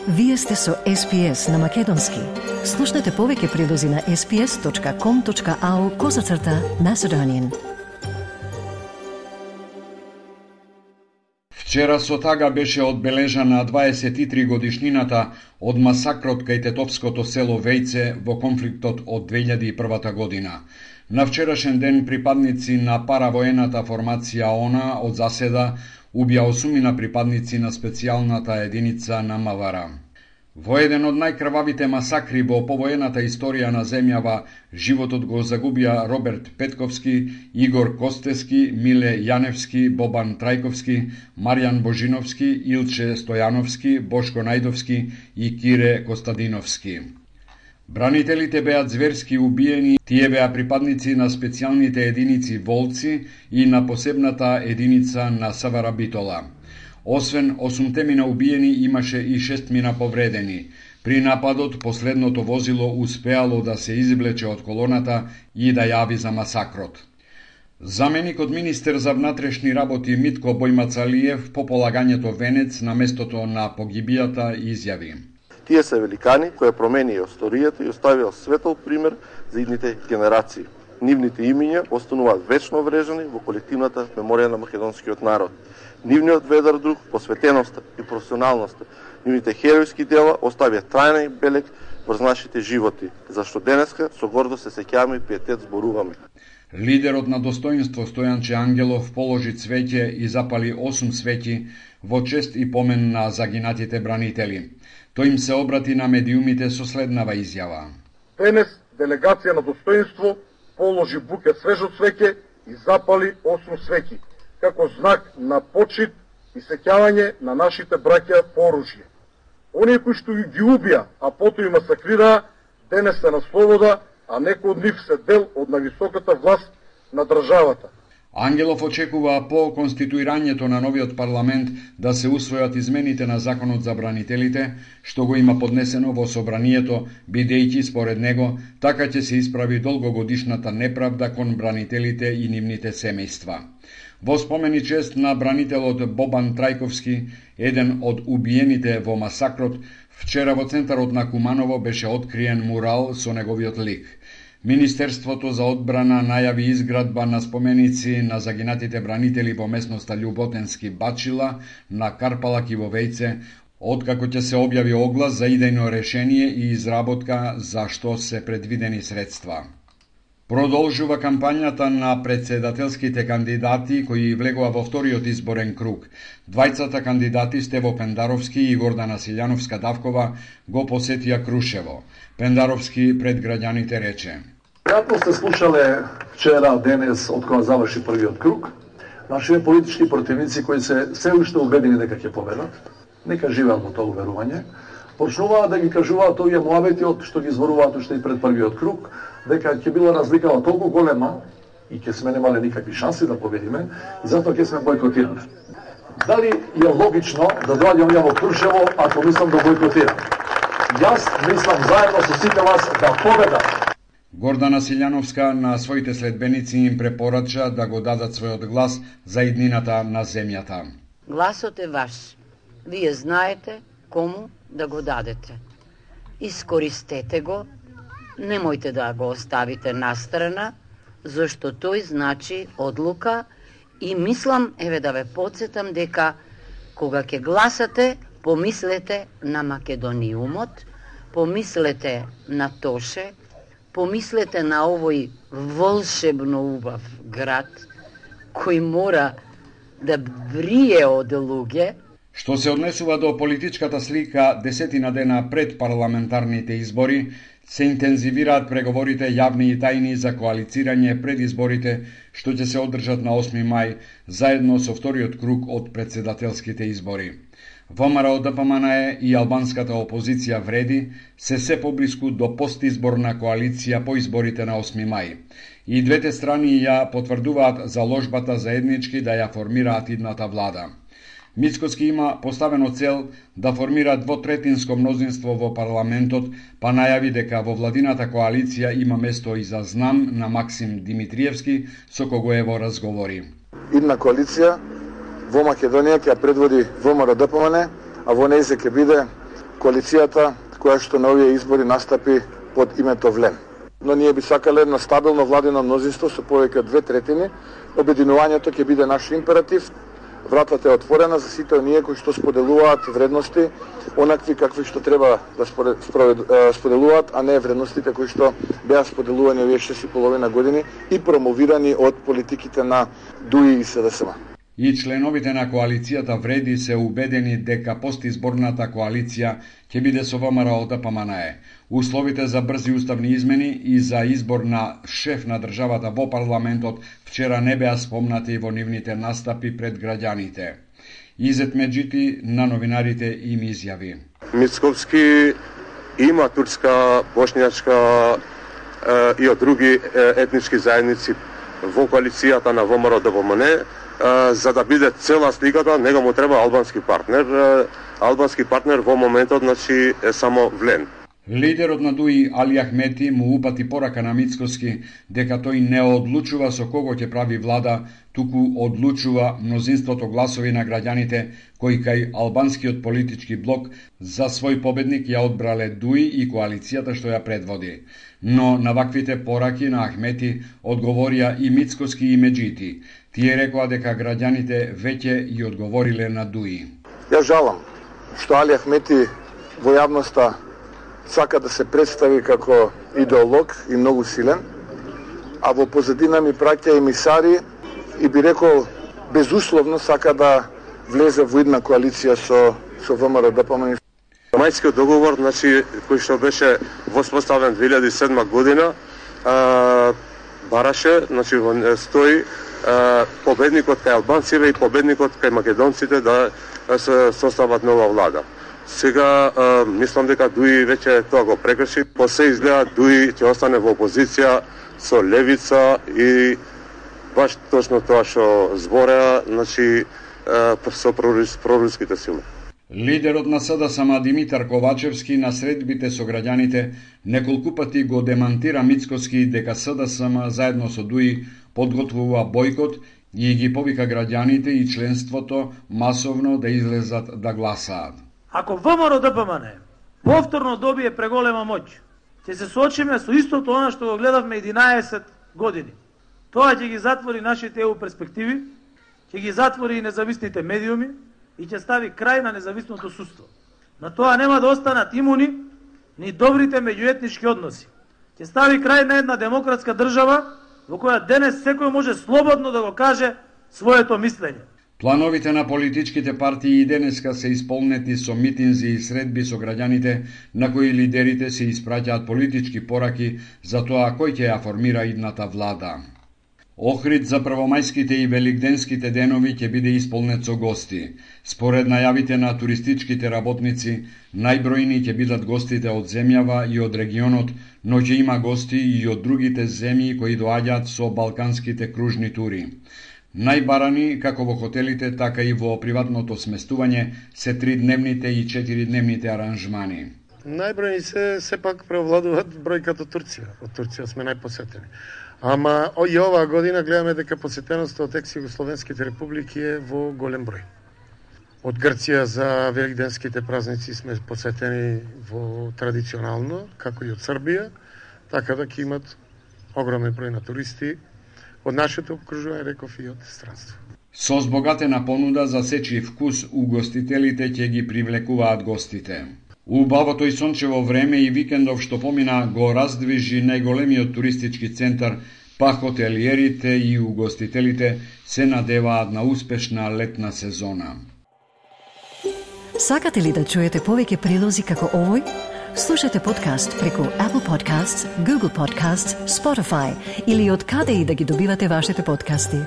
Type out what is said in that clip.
Вие сте со SPS на Македонски. Слушнете повеќе прилози на sps.com.au/Macedonian. Вчера со тага беше одбележана 23 годишнината од масакрот кај тетовското село Вејце во конфликтот од 2001 година. На вчерашен ден припадници на паравоената формација ОНА од заседа убија 8 припадници на специјалната единица на МВР. Во еден од најкрвавите масакри во повоената историја на земјава, животот го загубија Роберт Петковски, Игор Костески, Миле Јаневски, Бобан Трајковски, Маријан Божиновски, Илче Стојановски, Бошко Најдовски и Кире Костадиновски. Бранителите беа зверски убиени, тие беа припадници на специјалните единици Волци и на посебната единица на СВР Битола. Освен 8 мина убиени, имаше и 6 мина повредени. При нападот, последното возило успеало да се извлече од колоната и да јави за масакрот. Заменикот министер за внатрешни работи Митко Бојмацалиев по полагањето венец на местото на погибијата изјави: Тие се великани кои променија историјата и оставија светол пример за идните генерации. Нивните имиња остануваат вечно врежани во колективната меморија на македонскиот народ. Нивниот ведар дух, посветеноста и професионалноста, нивните херојски дела оставија трајна белег врз нашите животи, зашто денеска со гордост се сеќаваме и пиетет зборуваме. Лидерот на достоинство Стојанче Ангелов положи цвеќе и запали 8 свеќи во чест и помен на загинатите бранители. Тој им се обрати на медиумите со следнава изјава: Денес делегација на достоинство положи буке свежо цвеќе и запали 8 свеќи, како знак на почит и сеќавање на нашите браќа по оружје. Оние кои што ги убија, а потоа и масакрираа, денес се на слобода, а некои од нив се дел од највисоката власт на државата. Ангелов очекува по конституирањето на новиот парламент да се усвојат измените на законот за бранителите, што го има поднесено во собранието, бидејќи според него така ќе се исправи долгогодишната неправда кон бранителите и нивните семејства. Во спомен и чест на бранителот Бобан Трајковски, еден од убиените во масакрот, вчера во центарот на Куманово беше откриен мурал со неговиот лик. Министерството за одбрана најави изградба на споменици на загинатите бранители во местноста Љуботенски Бачила, на Карпалак и во Вејце, откако ќе се објави оглас за идејно решение и изработка за што се предвидени средства. Продолжува кампањата на председателските кандидати кои влегува во вториот изборен круг. Двајцата кандидати Стево Пендаровски и Гордана Силјановска-Давкова го посетија Крушево. Пендаровски пред граѓаните рече: Како сте слушале вчера, денес, од кога заврши првиот круг, нашите политички противници кои се се уште убедени дека ќе победат, нека живеат во тоа уверување, почнуваат да ги кажуваат овие муабети од што ги зборуваат уште и пред првиот круг, дека ќе била разликава толку голема и ќе сме немале никакви шанси да победиме и затоа ќе сме бојкотирани. Дали е логично да доаѓам ја во Крушево ако мислам да бојкотирам? Јас мислам заедно со сите вас да победам. Гордана Силјановска на своите следбеници им препорача да го дадат својот глас за иднината на земјата. Гласот е ваш. Вие знаете кому да го дадете. Искористете го, немојте да го оставите настрана, зашто тој значи одлука и мислам, еве да ве подсетам дека кога ќе гласате, помислете на Македониумот, помислете на Тоше, помислете на овој волшебно убав град кој мора да брие од луѓе. Што се однесува до политичката слика, 10 дена пред парламентарните избори, се интензивираат преговорите јавни и тајни за коалицирање пред изборите, што ќе се одржат на 8 мај, заедно со вториот круг од председателските избори. ВМРО ДПМН и албанската опозиција вреди се поблиску до постизборна коалиција по изборите на 8 мај. И двете страни ја потврдуваат заложбата заеднички да ја формираат идната влада. Мицкоски има поставено цел да формира двотретинско мнозинство во парламентот, па најави дека во владината коалиција има место и за знам на Максим Димитриевски, со кого е во разговори. Идна коалиција во Македонија ќе предводи ВМРО ДПМН, а во нејзе ќе биде коалицијата која што на овие избори настапи под името ВЛЕМ. Но ние би сакале едно стабилно владино мнозинство со повеќе од 2/3. Обединувањето ќе биде наш императив. Вратата е отворена за сите оние кои што споделуваат вредности, онакви какви што треба да споделуваат, а не вредностите кои што беа споделувани овие 6,5 години и промовирани од политиките на ДУИ и СДСМ. И членовите на коалицијата Вреди се убедени дека постизборната коалиција ќе биде со ВМРО ДПМНЕ. Условите за брзи уставни измени и за избор на шеф на државата во парламентот вчера не беа спомнати во нивните настапи пред граѓаните. Изет Меджити на новинарите им изјави: Мицковски има турска, бошњачка и од други етнички заедници во коалицијата на ВМРО ДПМНЕ. За да биде цела сликата, него му треба албански партнер. Албански партнер во моментот, значи, е само ВЛЕМ. Лидерот на ДУИ Али Ахмети му упати порака на Мицковски дека тој не одлучува со кого ќе прави влада, туку одлучува мнозинството гласови на граѓаните кои кај албанскиот политички блок за свој победник ја одбрале ДУИ и коалицијата што ја предводи. Но на ваквите пораки на Ахмети одговорија и Мицковски и Меджити. Тие рекоа дека граѓаните веќе и одговориле на ДУИ. Ја жалам што Али Ахмети во јавноста сака да се представи како идеолог и многу силен, а во позадина ми праќа емисари и би рекол безусловно сака да влезе во една коалиција со ВМРО ДПМНЕ. Мајскиот договор, значи, кој што беше воспоставен 2007 година, бараше, значи, стои победникот кај албанците и победникот кај македонците да се состават нова влада. Сега мислам дека ДУИ веќе тоа го прекрши. По се изгледа ДУИ ќе остане во опозиција со левица и баш точно тоа што збореа, значи со проруските сили. Лидерот на СДСМ Димитар Ковачевски на средбите со граѓаните неколку пати го демантира Мицковски дека СДСМ заедно со ДУИ подготвува бојкот и ги повика граѓаните и членството масовно да излезат да гласаат. Ако ВМРО ДПМНЕ повторно добие преголема моќ, ќе се соочиме со истото она што го гледавме 11 години. Тоа ќе ги затвори нашите ЕУ перспективи, ќе ги затвори и независните медиуми и ќе стави крај на независното судство. На тоа нема да останат имуни ни добрите меѓуетнички односи. Ќе стави крај на една демократска држава во која денес секој може слободно да го каже своето мислење. Плановите на политичките партии и денеска се исполнети со митинзи и средби со граѓаните на кои лидерите се испраќаат политички пораки за тоа кој ќе ја формира идната влада. Охрид за првомајските и великденските денови ќе биде исполнет со гости. Според најавите на туристичките работници, најбројни ќе бидат гостите од земјава и од регионот, но ќе има гости и од другите земји кои доаѓаат со балканските кружни тури. Најбарани, како во хотелите, така и во приватното сместување, се 3-дневните и 4-дневните аранжмани. Најбројни се сепак преовладуваат бројката Турција. Од Турција сме најпосетени. Ама и оваа година гледаме дека посетеноста од екс-југословенските републики е во голем број. Од Грција за великденските празници сме посетени во традиционално, како и од Србија, така да ќе имат огромен број на туристи од нашето окружување, реков и од странство. Со збогатена понуда за сечи вкус, угостителите ќе ги привлекуваат гостите. Убавото и сончево време и викендов што помина го раздвижи најголемиот туристички центар, па хотелиерите и угостителите се надеваат на успешна летна сезона. Сакате ли да чуете повеќе прилози како овој? Слушате подкаст преку Apple Podcasts, Google Podcasts, Spotify или од каде и да ги добивате вашите подкасти.